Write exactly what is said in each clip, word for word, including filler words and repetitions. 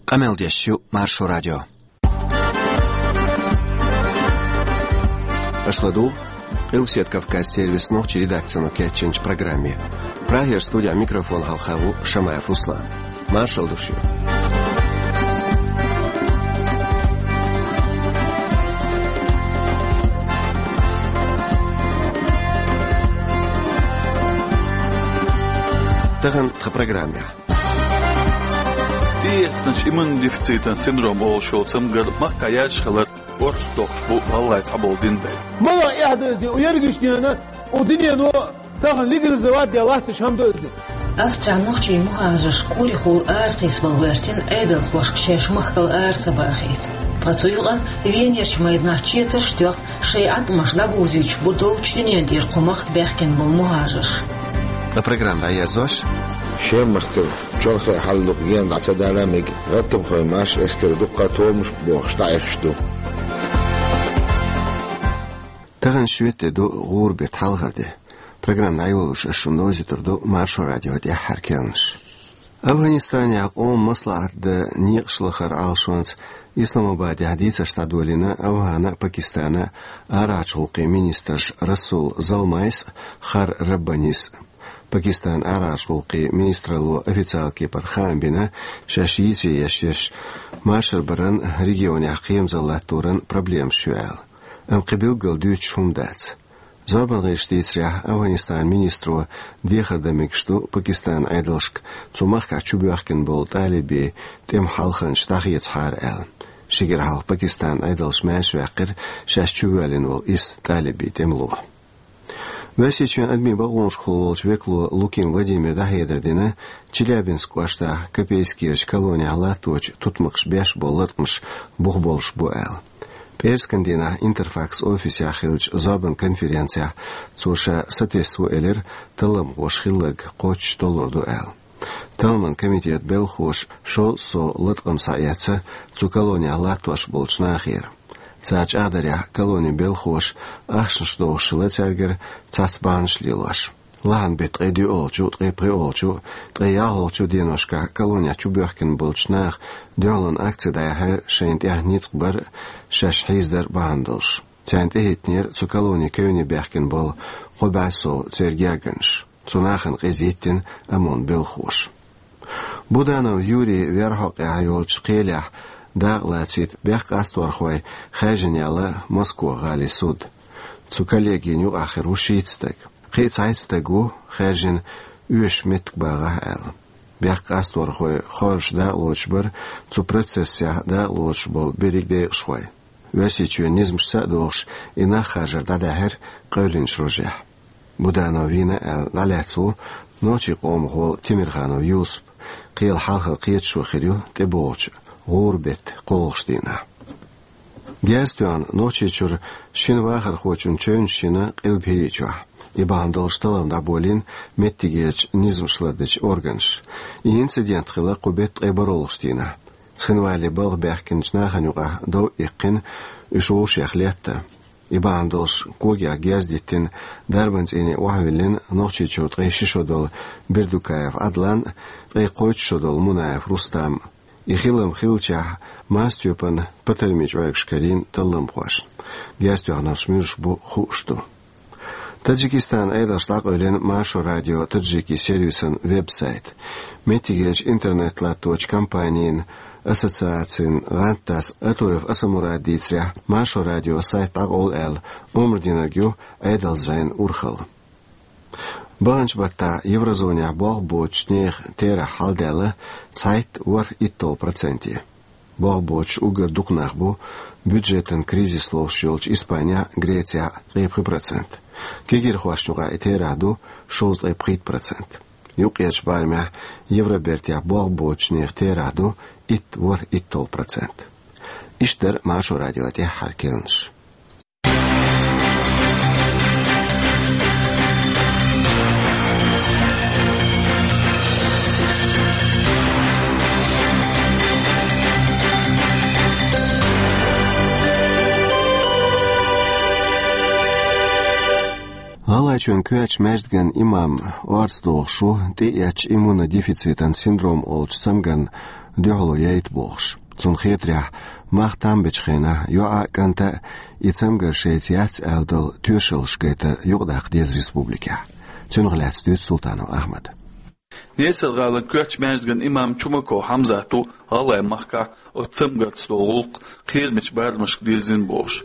Къамел деш ю Маршо радио. Аша ладугӀу Къилбаседа Кавказан сервисан нохчийн редакцино кечйинчу программе. Прагера студехь микрофон хьалха ву Шамаев Руслан. Маршалла ду шуьга. Тахана тхан программехь. ТӀеэцначу иммунодефицитан синдром олуш йолу цамгар махкахь яьржаш хилар орцах дохуш бу гӀалгӀайн цхьаболу динан дай. Мала эхь ду иза, у ерригаш дена, у динено тахана легализовать деш латташ хӀума ду иза. Австрин нохчийн мухӀажарш курехула аракхийсабала гӀоьртина Ӏедалхошка шаьш махкал ара ца бахийта. Ткъа цу юкъанна Венерчу майданахь четарш а тоьхна, шайн Ӏаткъамаш дӀабовзуьйтуш бу долчу дуьнен тӀера кху махка баьхкина болу мухӀажарш. Ткъа программа дӀаерзош, Шемахкара чолхе хьалха гена дӀа ца дала мега гӀаттамхойн маршо эскар дуккха а томаш бохуш дӀаэхаш ду. Тахана шоьтан де ду, гӀуран беттан хьалхара де. Программа дӀайолош ас шуна довзуьйтур ду Маршо радион тӀаьххьара керланаш. Афганистанехь къоман маслаӀат дан некъаш лахаран Ӏалашонца Исламабадехь дийцарш дӀадолийна АвгӀанан а, Пакистанан а арахьарчу гӀуллакхийн министрша Расул Залмайс а, Хар Раббанис а. Пакистанан арахьарчу гӀуллакхийн министралло официалан кепара хаам бина, шаьш йийце еш ерш маршалла баран, регионехь кхерамзалла латторан проблемаш ю аьлла. Амма кхин билггал дуьйцуш хӀума дац. Зорбан гӀирсаша дийцарехь, Афганистанан министро дехар дан мегаш ду Пакистанан Ӏедалшка цу махкахь чубоьхкина болу талибийн тӀеман хьалханчаш дӀахецахьара аьлла. Ши кӀира хьалха Пакистанан Ӏедалша маьрша ваьккхира шаьш чувоьллина волу исс талибийн тӀемало. Оьрсийчоьнан адамийн бакъонашкахула волчу векало Лукин Владимира дӀахьедар дина Челябинск кӀоштахь Копейскерачу колонехь латточу тутмакхаша беш болу латкъамаш бух болуш бу аьлла. ПӀераскан дийнахь Интерфакс офисехь хиллачу зорбан конференцехь цо ша сатесна ву элира талламхоша хилларг кхоччуш толлур ду аьлла. Талламан комитетан белхахоша шовзткъа сов латкъам схьаэцна цу колонехь латтош болчу нахера. Цара чӀагӀдарехь, колонин белхахоша ахчанаш дохуш хилла цаьргара цхьацца бахьанаш лелош. Лахьан беттан ткъе доьалгӀачу, ткъе пхоьалгӀачу, ткъе ялхалгӀачу деношкахь колонехь чубоьхкина болчу наха дуьхьалонан акци дӀаяьхьира шайна тӀехь ницкъ бар а, шаьш хьийзадар а бахьана долуш. Царна тӀехӀиттинера цу колонин кевне баьхкина болу кхо бӀе сов церан гергарнаш. Цу нахана къиза йиттина ОМОН-ан белхахоша. Буданов Юрий верхӀоккъехь йолчу кхелехь дакъа лацийта бехк къасторхой хаьржина яьлла Москох-гӀалин суд. Цу коллегина юкъахь хир ву шийтта стаг. Кхин а цхьайтта стаг ву хаьржина оьшуш меттиг багӀахь аьлла. Бехк къасторхой хоржуш дакъа лоцуш бара цу процессехь дакъа лоцуш болу берриг декъашхой. Оьрсийчоьнан низамашца а догӀуш, и нах харжар дӀадаьхьира къевлинчу рожехь. Буданов вийна аьлла дӀалаьцна ву нохчийн къомах волу Темирханов Юсуп, кхелан хьалхара кхеташо хир ю тӀебогӀучу гӀуран беттан кхоалгӀачу дийнахь. Герз тоьхна Нохчийчуьра шина вахархочун чевнаш йина Къилба ХӀирийчохь. И бахьана долуш таллам дӀаболийна меттигерчу низамаш лардечу органаша. И инцидент хилла кху беттан ткъе бархӀалгӀачу дийнахь. Цхинвале балха баьхкинчу нахана юкъахь дов иккхина, уьш вовшех летта. И бахьана долуш когех герз диттина, дарбан цӀийне охьавиллина Нохчийчуьра ткъе ши шо долу Бердукаев Ӏадлан а, ткъе кхойтта шо долу Мунаев Рустам а. И хилам хиллачохь, мастепан патармийн чӀоргаш карийна талламхошна. Герз тоьхнарш муьлш бу хууш ду. Таджикистанан Ӏедалша дӀакъевлина Маршо радион таджикийн сервисан веб-сайт. Меттигерчу интернет латточу компанийн ассоциацин гӀантдас Атоев Асамурада дийцарехь, Маршо радион сайт дӀакъовла аьлла омра динарг ю Ӏедалан зӀенан урхалла. Баханчу баттахь еврозонехь болх боцучу нехан терахь хьаладаьлла цхьайтта ворхӀ итталгӀа проценте. Болх боцуш уггар дукха нах бу бюджетан кризис ловш йолчу Испанехь а, Грецехь а, ткъе пхи процент. Кегирхошна юкъахь и терахь ду шовзткъе пхийтта процент. Юккъерчу барамехь Евробертехь болх боцучу нехан терахь ду итт ворхӀ итталгӀа процент. Иштта дара Маршо радион тӀаьххьара керланаш. ГӀалгӀай Шун коьртачу маьждиган имам орца дохуш ву тӀеэцначу иммунодефицитан синдром олучу цамгарна дуьхьало яйта бохуш. Цунна хетарехь, мах там бечу хенахь йоӀа а, кӀанта а и цамгар шайца яц аьлла долу тоьшаллаш гайтар юкъадаккха деза республикехь. Цунах лаьцна дуьйцу Султанов Ахьмада. Несар-гӀалин коьртачу маьждиган имам Чумаков Хьамзат ву ГӀалгӀай-Махкахь оцу цамгарца долу гӀуллакх кхерамечу барамашка дирзина бохуш.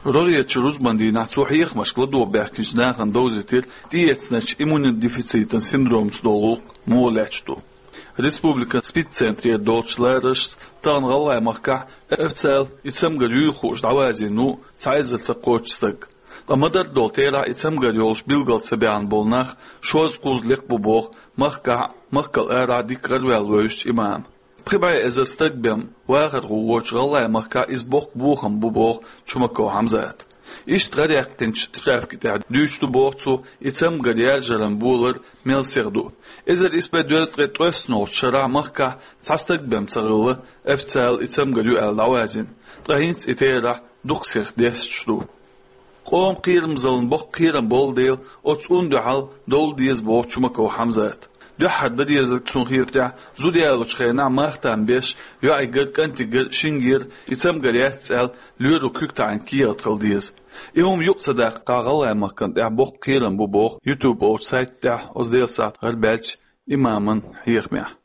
РогӀерчу рузбан дийнахь цо хьехамашка ладогӀа баьхкинчу нахана довзийтира тӀеэцначу иммунодефицитан синдромца долу гӀуллакх муха лаьтташ ду. Республикан СПИД-центрера долчу лараршца тахана ГӀалгӀай-Махкахь официалан и цамгар юйла хууш дӀавазийна ву цхьа эзар ца кхоччу стаг. Ткъа ма-дарра долу терахь и цамгар йолуш билгал ца баьхна болу нах шозза-кхузза лекха бу боху махкахь а, махкал арахь а дика гӀараваьлла вевзачу имама. Пхи бӀе эзар стаг бен вахархо воцучу ГӀалгӀай-Махкахь иза боккха бохам бу боху Чумаков Хьамзата. Иштта гӀараяккхинчу справки тӀехь дуьйцуш ду боху цо и цамгар яржаран болар мел сиха ду. Эзар исс бӀе дезткъе ткъайоьссанолгӀачу шарахь махкахь цхьа стаг бен ца хилла официалан и цамгар ю аьлла дӀавазийна, ткъа хӀинца и терахь дукха сиха десташ ду. Къоман кхерамзаллина боккха кхерам болу дела, оцу цӀунна дуьхьал довла деза боху Чумаков Хьамзата. Дуьххьара дан дезарг цунна хетарехь, зуда ялочу хенахь мах там беш йоӀигара, кӀантигара, шингера и цамгар яц аьлла лоьро куьг таӀийна кехат хила деза. И хӀума юкъа ца даккхахь, ГӀалгӀай-Махкана тӀехь боккха кхерам бу боху YouTube олучу сайта тӀехь оцу Делан сахьтехь гӀарабаьллачу имаман хьехамехь.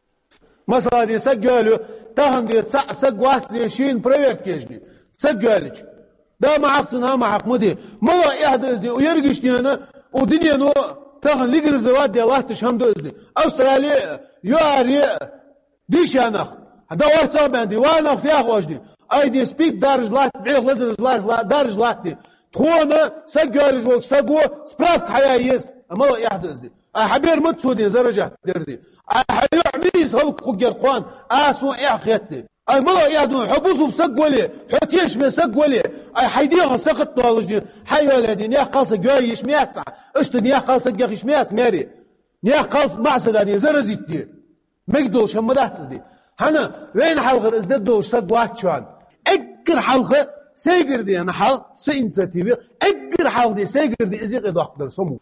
Масала, де, саг йоьллу, тахана, де, цхьаъ саг вац, де, шена проверка еш, де. Саг йоьллича. Да ма хьакха цунна, ма хьакха ма де. Мала эхь ду иза, де, у ерригаш дена, у динено тахана легализовать де латташ хӀума ду иза, де. Австрали а, ЮАР а, дийша нах. Да орцах бен, де, ва нах фех ош, де. Ай, де, спид даржа латт, бӀех лазараш ларжа ла-, даржа латт, де. Тхуна саг йоьллуш волчу саго справка хьаян еза. Амма эхь ду иза, де. Ай, хьан бер ма цо, де, заражать дер, де. Ай, хьан йоӀ мийса хӀаллакьхургьяр кхунна, а, суна эхь хетта, де. Ай, мала эхь ду, хьо бусулба саг вале, хьо тешаме саг вале, ай, хьайн дегӀан сакхат долуш, де, хьан йоьллу, де, некъ кхалсаг йоьллу йиш ма яц ахь, иштта некъ кхалсаг яха йиш ма яц маьре. Некъ кхалсаг маьӀсага, де, заразить де. Мегаш долуш хӀума ма дац иза, де. ХӀана, вайна хьалхара иза де долуш саг вац чохь. Эггара хьалха сайгара де, хьан хьал, сан инициатива, эггара хьалха де сайгара де иза юкъа доккхур дара со мо.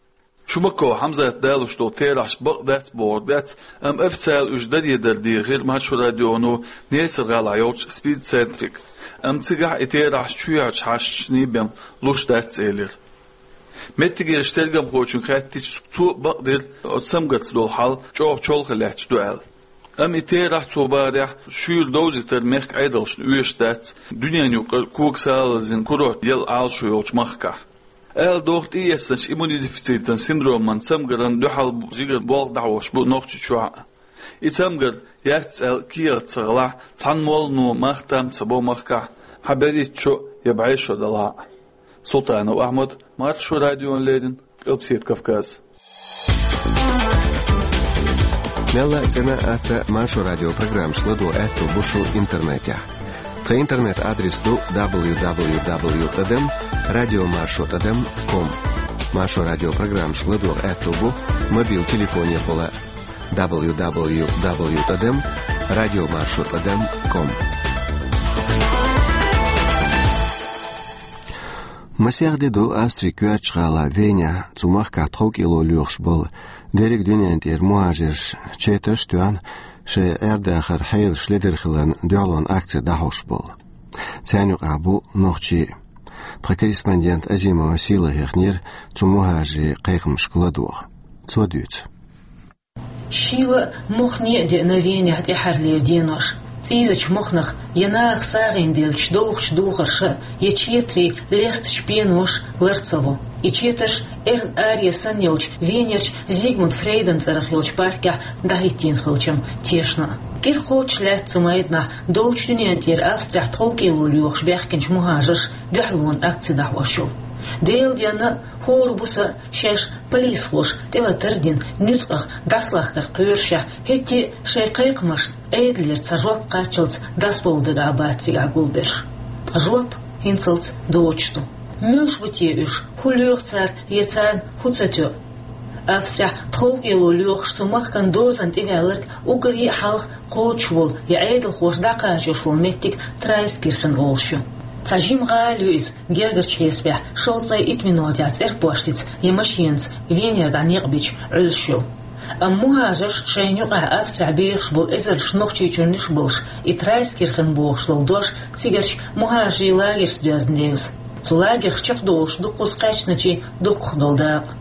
Чумаков Хьамзата далуш долу терахьаш бакъ дац бохург дац, амма официалан уьш даре дар дехира Маршо радионо Несар-гӀалахь йолчу СПИД-центрига. Амма цигахь и терахьаш чоьхьарчу хьашташний бен луш дац элира. Меттигерчу тергамхочуьнга хаьттича, цо а бакъдира оцу цамгарца долу хьал чӀогӀа чолхе лаьтташ ду аьлла. Амма и терахь, цо бахарехь, шуьйра довзийтар мехкан Ӏедалшна оьшуш дац, дуьненан юкъара когасалазлин курорт яла Ӏалашо йолчу махкахь. Ала догӀу, тӀеэцначу иммунодефицитан синдроман цамгаран дуьхьал жигара болх дӀахьош бу Нохчийчохь а. И цамгар яц аьлла кехат ца хилахь, цхьана моллано мах там ца бо махкахь, хьан берхӀитта шо я бӀе шо далахь а. Султанов Ахьмад, Маршо радиона леррина, Къилбаседа Кавказ. Мелла а цӀена а атта Маршо радион программаш ладогӀа аьтто бу шун интернетехь. Тхан интернет-адрес ду дабл ю дабл ю дабл ю тӀадам радио маршо тӀадам ком. Маршо радион программаш ладогӀа аьтто бу мобил телефонехула дабл ю дабл ю дабл ю тӀадам радио маршо тӀадам ком. Масех де ду Австрин коьртачу гӀала Венехь цу махкахь тховкӀело лоьхуш болу дерриг дуьнен тӀера мухӀажарш четарш а тоьхна, шайн Ӏер-дахаран хьелаш ледара хиларна дуьхьалонан акци дӀахьош болу. Царна юкъахь бу нохчий а. Тхан корреспондент Азимова Сийлахь хехнера цу мухӀажарийн кхайкхамашка ладогӀа. Цо дуьйцу. Шийла а, мохне а деана Венехь тӀаьххьарлера денош. ЦӀийзачу мохнах я наха сагӀина деллачу довхачу духарша, я четарийн лестачу пеноша лар ца во. И четарш эрна аре санна йолчу Венерчу Зигмунд Фрейдан цӀарах йолчу паркехь дӀахӀиттийна хилчам тешна а. КӀира кхочуш лаьтта цу майданахь долчу дуьнен тӀера Австрехь тховкӀело лоьхуш баьхкинчу мухӀажарша дуьхьалонан акци дӀахьош йолу. Делан денна а, хӀора буса а шаьш полисхоша тӀелатар а дина, нуьцкъах дӀасалахкар кхоьрушехь, хӀетте а шайн кхайкхамашна Ӏедалера цхьа жоп кхаччалц дӀасабовла дагахь бац цигахь гулберш. Ткъа жоп хӀинцалц доцуш ду. Муьлш бу те уьш, хӀун лоьху цара я царна хӀун ца тоьу? Австрехь тховкӀело лоьхуш цу махкан дозанна тӀеваьлларг уггаре а хьалха кхочуш волу я Ӏедалхоша дӀакхачош волу меттиг Трайскирхен олуш ю. Цхьа жима гӀала ю иза, гергарчу хьесапехь, шовзткъе итт минотехь цӀерпоштица я машенаца Венера дӀа некъ бича Ӏуьллуш йолу. Амма мухӀажарш шайна юкъахь Австрехь бехаш болу эзарнаш Нохчийчуьрнаш а болуш, и Трайскирхен бохуш долу дош цигарчу мухӀажарийн лагерца доьзна девза. Цу лагерх чекхдолуш дуккхаза кхаьчначийн дуккха долу дакъа.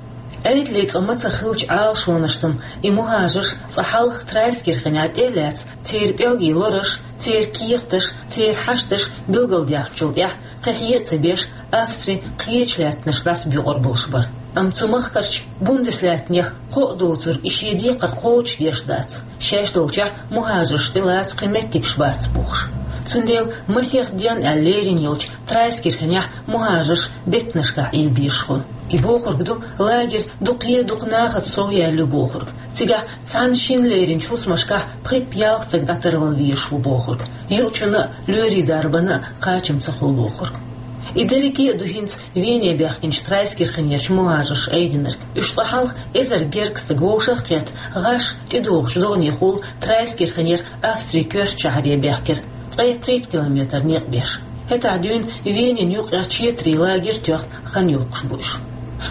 Ӏедалан цӀа мацах хиллачу Ӏалашонашца и мухӀажарш цкъа хьалха Трайскирхенехь тӀе а лаьцна, церан пӀелгийн лараш, церан кехаташ, церан хьашташ билгалдаьхначул тӀаьхьа кхин хье а ца беш, Австри кхечу лаьттанашка дӀасабоькъур болуш бара. Амма цу махкарчу Бундеслаьттанех кхоъ доцург и шен декхар кхочушдеш дац. Шаьш долчохь мухӀажарш тӀелаца кхин меттигаш бац бохуш. Цундела масех ден аьлла лерина йолчу Трайскирхенехь мухӀажарш беттанашкахь Ӏийла безаш хуьлу. И бохург ду, лагерь дукха е дукха нахаца сов яьлла ю бохург. Цигахь цхьана-шинна леринчу хӀусамашкахь пхи-ялх стаг дӀатарвала везаш ву бохург. Юучунна а, лоьрийн дарбанна а кхачам ца хуьлу бохург. И дерриге а ду хӀинца Вене баьхкинчу Трайскирхенерчу мухӀажарша айдинарг. Уьш цкъа хьалха эзар гергга стаг вовшах а кхетта, гӀаш, тӀедогӀучу догӀанехула Трайскирхенера Австрин коьртачу шахьаре баьхкира, ткъе пхийтта километр некъ беш. ХӀетахь дуьйна Венин юккъехь четарийн лагерь тоьхна хан йоккхуш бу уьш.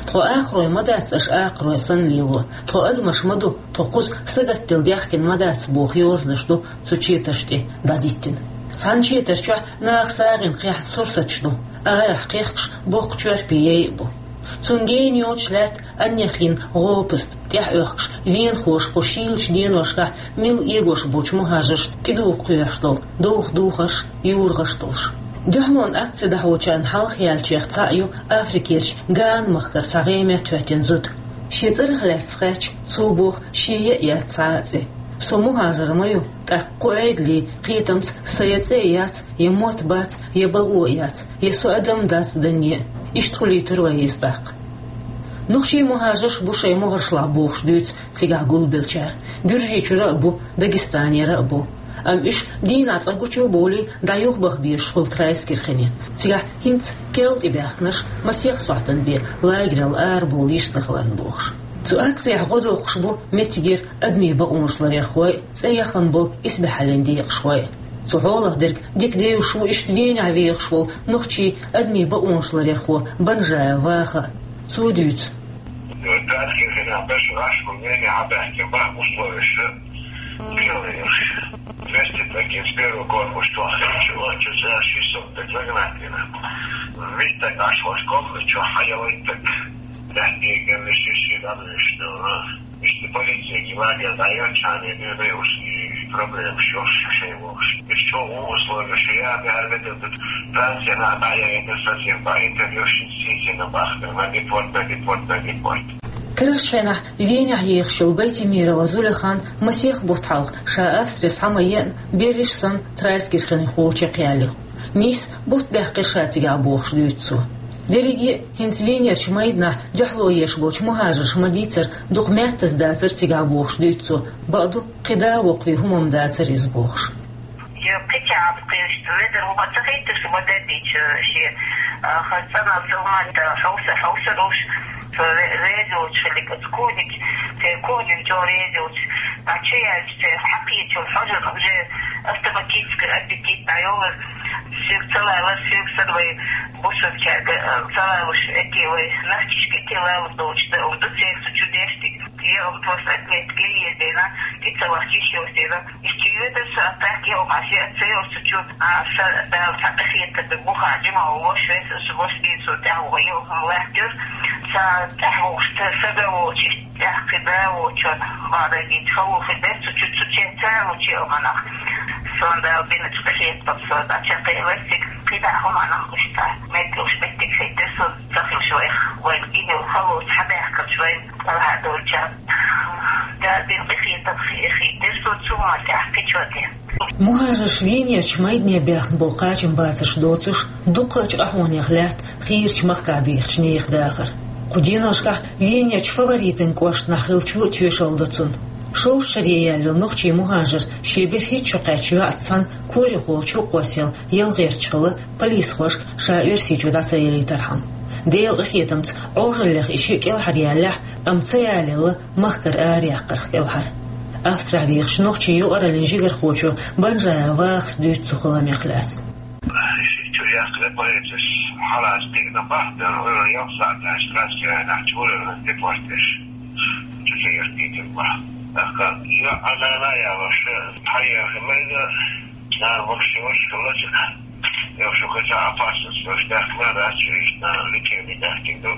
Тхо акхарой ма дац аша акхарой санна лело, тхо адамаш ма ду, тхо кхуза сагатделла даьхкина ма дац боху йозанаш ду цу четарш тӀе дӀадиттина. Цхьана четар чохь наха сагӀина кхехь сурсаташ ду, арахь кхехкаш боккха чорпе яй а бу. Цунна гена йоцуш лаьтта аннех йина гӀопаст тӀехь оьхкуш, венахоша кху шийлачу деношкахь милла эгош болчу мухӀажаршна тӀедуха кхоьхьуш долу довха духарш, юрагӀаш долуш. Дуьхьалонан акци дӀахьочарна хьалха яьллачех цхьаъ ю Африкерчу Гана махкара цхьа гӀеме тоьттина зуда. Шен цӀарах лаьцна хаьттича, цо боху, шен ян а яц цхьа а цӀе. Со мухӀажар ма ю, тӀаккха кху Ӏедалан кхетамца сан я цӀе а яц, я мотт бац, я бакъо а яц, я со адам дац данне а. Иштта хуьлуьйтура вай иза тӀаккха. Нохчийн мухӀажарш бу шайн могӀаршлахь бохуш дуьйцу цигахь гулбеллачара. Гуьржийчуьра а бу, Дагестанера а бу. Амма уьш дийнахь цкъа гучу а бовлий, дӀа юхабаха безаш хуьлу Трайскирхене. Цигахь хӀинца керла тӀебаьхкинарш масех сохьтан бен лагерал арабовла йиш ца хиларна бохуш. Цу акцехь гӀо доккхуш бу меттигера адамийн бакъонаш ларъярхой а, цӀе яхана болу исбаьхьаллин декъашхой а. Цу хьолах дерг дика девзаш ву иштта Венехь вехаш волу нохчийн адамийн бакъонаш ларъярхо Банжаев Ваха а. Цо дуьйцу. Трайскирхенехь берш гӀаш бу, Венехь баьхкина баха условияш тӀехь ларъеш. Двести стаг с первого корпуса тохкийча, отчу цӀа шестьсот стаг загнать дина. Вист стаг Ӏаш волчу комнате чохь хьан я вайтаг. Лаьттиган ши-ши дӀадуьйш ду. Иштта полициягахь лагерь дӀайоьллачхьана дуьйна уьш и проблемаш йолуш шайн вовшашка. Уьш чӀогӀа условияш я, бехьар метр ду, Францина дӀаяйна совсем, интервьюшна сийсина бахкана, на депорт, на депорт, на депорт. Карарчу хенахь Венехь ехаш йолу Байтимирова Зулейхан масех бутт хьалха ша Австре схьа ма еана, берриш санна Трайскирхенехула чекхъяьлла ю. Нийсса бутт баьккхира ша цигахь бохуш дуьйцу цо. Дерриге а хӀинца Венерчу майданахь дуьхьало еш болчу мухӀажарша ма дийцара, дукха маьттаза дацара цигахь бохуш дуьйцу цо, бакъду, кхин да а воккхаве хӀума-м дацара иза бохуш. Я кхечахьа кхечахьа ведар хӀума ца хийтира, ма дердича шен, а, хаза цӀанал силманта хьовса, хьовса долуш, ре-, реза йолчу хилиг, оцу кухниг, церан кухниг чӀогӀа реза йолчу, а, чу яьлча, церан хьакхечул хьожан уже автоматически аппетит дӀайоллар, соьга ца лалар, соьга санна вай бусалбачаьрга, а, ца лалуш, эти вай нахчашка эти лалуш долчу да, ду церан цу чу деш диг. Я, ам, просто отметка еза дена, кхин ца вахча йиш йолуш дела. Иштта йоьдуш сан, тӀаккха я, ам, аш я, ца йолуш цу чу, а, сан Дала цхьа къахетар ду, бухахь жима волуш, весаш волуш, дийна со тӀаьхьа вогӀу, я, ам, лаьттира. Сан тӀаьхьа вогӀуш, сан, сан да воцуш, тӀаьхьа кхин да воцуш, бакъдерг дийца, хало хир дара цу чу, цу чу ца лучу, я, ам, нах. Сан Дала бинчу къахетам со, дӀа чекхъелира цига, кхидӀа хӀума нах гуш ца. Меттиг луш, меттиг хӀиттира сан. Ца хилча вайх, вайн гинал халоца хьабаьхкача вайн кӀелхьардолчарна. Дала бен къинхетам хи-, хийтира со цу маттехь кхечу тӀе. МухӀажарш Венерчу майдане баьхна болу кхачамбацарш доцуш, дуккхачу ахьонех лаьтта хийрачу махкахь бехачу нехан дахар. Кху деношкахь Венерчу Фаворитан кӀоштахь хиллачо а тоьшалла до цунна. Шовзткъа шаре яьлла йолу нохчийн мухӀажар шен берхӀитта шо кхаьчча йоӀца цхьаьна корехула чу кхоссаелла ялгӀерчу хала полисхошка ша Оьрсийчу дӀа ца ялийтархьама. Делан къинхетамца Ӏожаллех и шиъ кӀелхьаръяьллехь а, амма ца ялаелла махкара араяьккхарх кӀелхьара. Австрехь вехачу нохчийн юкъараллин жигархочо Банжаев Вахас дуьйцу цу халамех лаьцна. Ши чу Яхкъе полицис хьалаца дигна бахтар, ойла ялх саъаташ Россияна чура депортеш. Чу хӀертийта бах. ТӀаккха йоӀ Алана ялаш, хьаяха майда, нара боксиош хилла чука. Йош укхаза опасность, йош дахма дац, чуиш на лечение дахкин ду.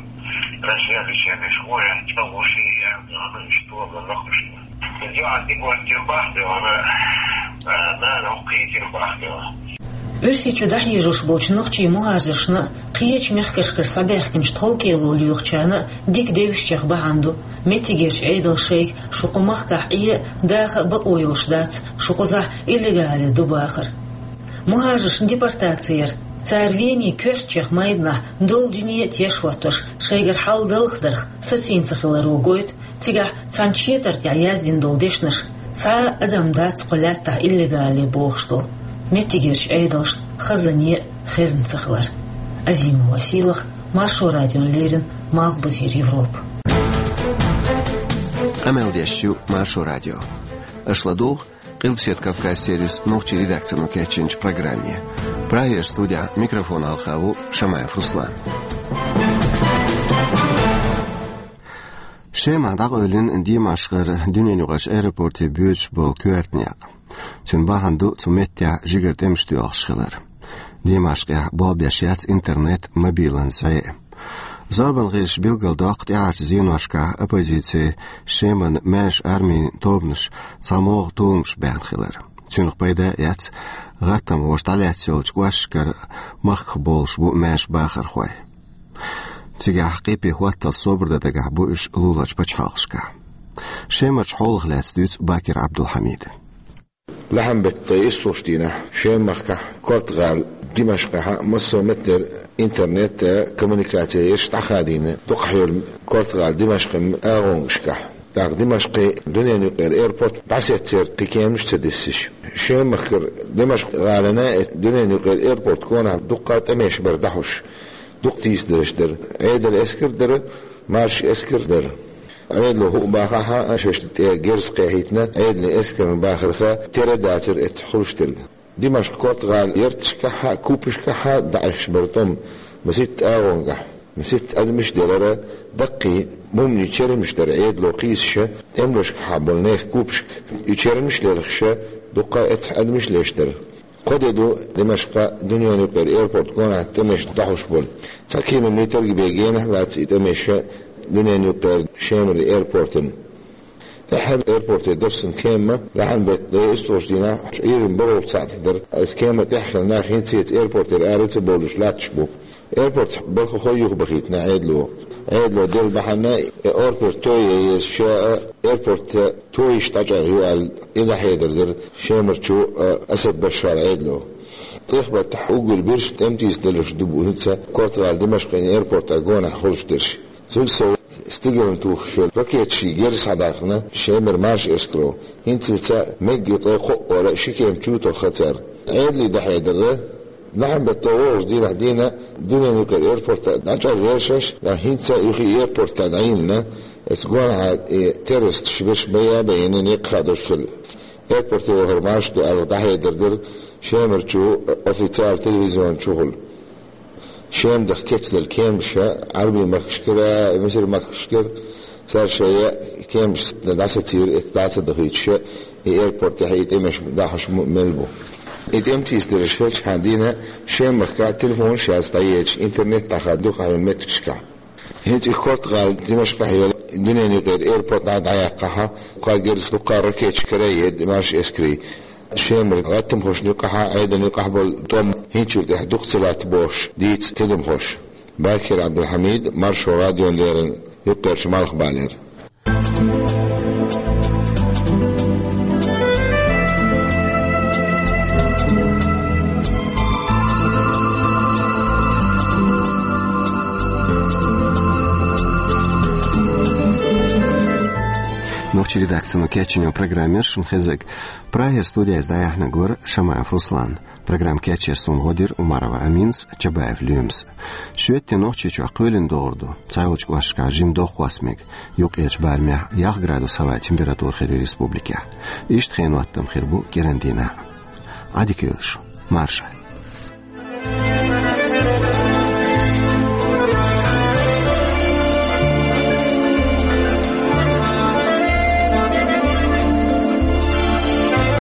Россия лечение школа, чогуши, я, ну, что, лохуши. ЙоӀ дигваттир бахтар, а, нара хӀокхийтир бахтар. Оьрсийчу дӀахьежаш болчу нохчийн мухӀажаршна, кхечу мехкашкара схьабаьхкинчу тховкӀело лоьхучарна дика девзачех бахьана ду, меттигерчу Ӏедалша шайга шун кху махкахь Ӏе а, даха а бакъо йолуш дац, шун кхузахь иллегале ду бахар. МухӀажаршна депортаци яр, цара Венин коьртачех майданахь долу дуьне а теш хӀоттош, шайгара хьал далха дарх сацийна ца хиларо гойту, цигахь цхьана четар тӀехь яздина долу дешнаш, цхьа а адам дац кху лаьттахь иллегале бохуш долу, меттигерчу Ӏедалшна хазане а хезна ца хилар. Азимова Сийлаха, Маршо радиона леррина, Малхбузера Европа. Къамел деш ю Маршо радио. Аш ладугӀу Къилбаседа Кавказ сервисан нохчийн редакцино кечйинчу программе. Прагера студехь микрофон хьалха ву Шамаев Руслан. Шемахь дӀакъевлина Димашкъера дуьненаюкъарчу аэропорте боьдуш болу коьрта некъ. Цуьнан бахьана ду цу меттехь жигара тӀемаш доьлхуш хилар. Димашкъехь болх беш яц интернет, мобилан зӀе а. Зорбан гӀирсаша билгалдоккху тӀаьхьарчу зеношкахь оппозицин, Шеман маьрша армин тобанаш цхьамогӀа толамаш баьхна хилар. Цуьнах пайда а эцна, гӀаттамхоша дӀалаьцна йолчу кӀошташкара махках болуш бу маьрша бахархой. Цигахь къепе хӀоттал собар дан дагахь бу уьш луларчу пачхьалкхашкахь. Шемарчу хьолах лаьцна дуьйцу Бакир Абдулхьамида. Лахьанбеттан ткъе иссалгӀачу дийнахь Шеман махкахь, Корта-гӀала Димашкъехь а массо а меттера интернет а, коммуникаци а ерш дӀахадийна дукхахьолу Корта-гӀала Димашкъан агӀонгашкахь. ТӀаккха Димашкъан дуьненаюкъара аэропорт дӀасеццера кхин кеманаш а ца диссиш. Шеман махкара Димашкъ-гӀалина а, дуьненаюкъара аэропорт гонахь дуккха а тӀемеш бара дӀахьош. Дукха тийсадаларш дара. Ӏедалан эскар а дара, маршан эскар а дара. Ӏедало хӀуъа бахахь а, шайшна тӀе герз кхехьийтина, Ӏедалан эскарна бахарх тера а дацара эцца хуьлуш дерг. Димашкъ Корта-гӀала ярташкахь а, купашкахь а дӀаэхаш бара тӀом масийтта агӀонгахь. Масийтта адамаш а делара, даккхий муммийн чермаш дара Ӏедало кхийсуш, тӀемалашкахь болу нехан купашка. И чермаш а лелхаш, дуккха а эццахь адамаш а леш дара. Кхо де ду Димашкъан дуьненаюкъара аэропорт гонахь тӀемеш дӀахьош болу. Цхьа километр а бен генахь а лаьцна и тӀемеш дуьненаюкъара Шемара аэропортана. ТӀаьххьара аэропорте доссана кема лахьанбеттан ткъе иссалгӀачу дийнахь Ӏуьйранна бархӀалгӀачу сахьтехь дара. Иза кема тӀехь хилла нах хӀинццалц аэропортера ара ца бовлуш латташ бу. Аэропортехь бархӀ хой юхабахийтина Ӏедало. Ӏедало делла бахьана, аэропорт тойе еза ша а, аэропорт тойиш дӀачӀагӀъян ю аьлла, и дӀахьедар дара Шемарчу, а, Асад Башара Ӏедало. ТӀехбаттахь уггар бирса тӀемтийса далуш ду бу хӀинца Корта-гӀала Димашкъан аэропортан гонахь хуьлуш дерш. Цул сов, стигална тухуш йолу ракеташийн герз схьадаьккхина Шемара маршан эскаро. ХӀинцалц мегги ткъе кхоъ вара ши кема чу тохха цара. Ӏедалан дӀахьедар дара, лахьанбеттан ворхӀалгӀачу дийнахь дуьйна дуьненаюкъара аэропорт дӀачӀагӀъян еш, ткъа хӀинца юха аэропорт дӀайиллина, эцца гонахьа и террористаш берш байа а байина некъ хадош хилла. Аэропорте вахар марша ду аьлла дӀахьедар дара Шемарчу официалан телевизионна чухула. Шема даха кечделла кемаша Ӏарбийн махкашкара, Мисар махкашкара, цара шайн кемаш дӀасацийра, эцца дӀа ца дахийтуш, и аэропортехь и тӀемеш дӀахьош м-, мел бу. И тӀемтийсадаларш хилчхьана дийнахь Шеман махкахь телефонаш яц дӀаедаш, интернет дӀахаьдда дукхахьолу меттигашкахь. ХӀинца и Корта-гӀала Димашкъехь йолу дуьненаюкъара аэропорт дӀа-, дӀаяьккхахь, кхо герз дуккха а ракеташкара а еда маршан эскарийн. Шемара гӀаттамхошна юкъахь а, Ӏедална юкъахь а болу тӀом хӀинцачул тӀаьхьа дукха ца латта бохуш дийца тидамхоша. Бакир Абдулхьамид, Маршо радиона леррина, юккъерчу Малхбалера. Нохчийн редакцино кечйина программа яра шуна хезарг. Прагера студехь иза дӀаяьхьнарг вара Шамаев Руслан. Программа кечъеш суна гӀо дира Умарова Аминас, Чабаев Лоьмас. Шоьтан де Нохчийчохь кхоьлина догӀур ду. Цхьайолчу кӀошташкахь жимма дохкхосса мега. Юккъерчу барамехь ялх градус хӀаваан температура хир ю республикехь. Иштта хенан хӀоттам хир бу кӀиран дийнахь. Ӏадика йойла шун. Маршалла.